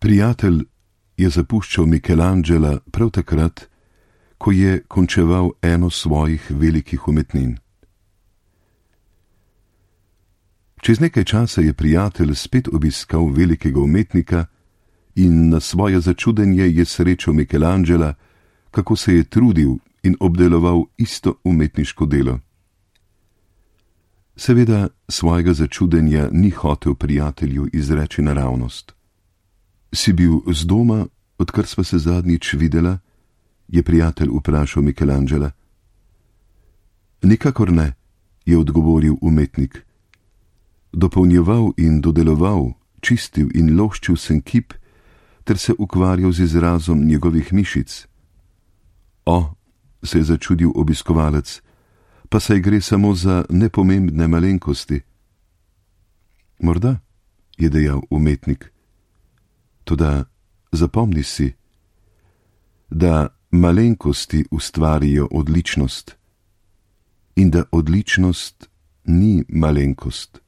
Prijatelj je zapuščal Michelangela prav takrat, ko je končeval eno svojih velikih umetnin. Čez nekaj časa je prijatelj spet obiskal velikega umetnika in na svoje začudenje je srečal Michelangela, kako se je trudil in obdeloval isto umetniško delo. Seveda svojega začudenja ni hotel prijatelju izreči naravnost. Si bil z doma, odkar sva se zadnjič videla? Je prijatelj vprašal Michelangela. Nikakor ne, je odgovoril umetnik. Dopolnjeval in dodeloval, čistil in loščil sem kip, ter se ukvarjal z izrazom njegovih mišic. O, se je začudil obiskovalec, pa saj gre samo za nepomembne malenkosti. Morda, je dejal umetnik. Toda zapomni si, da malenkosti ustvarijo odličnost in da odličnost ni malenkost.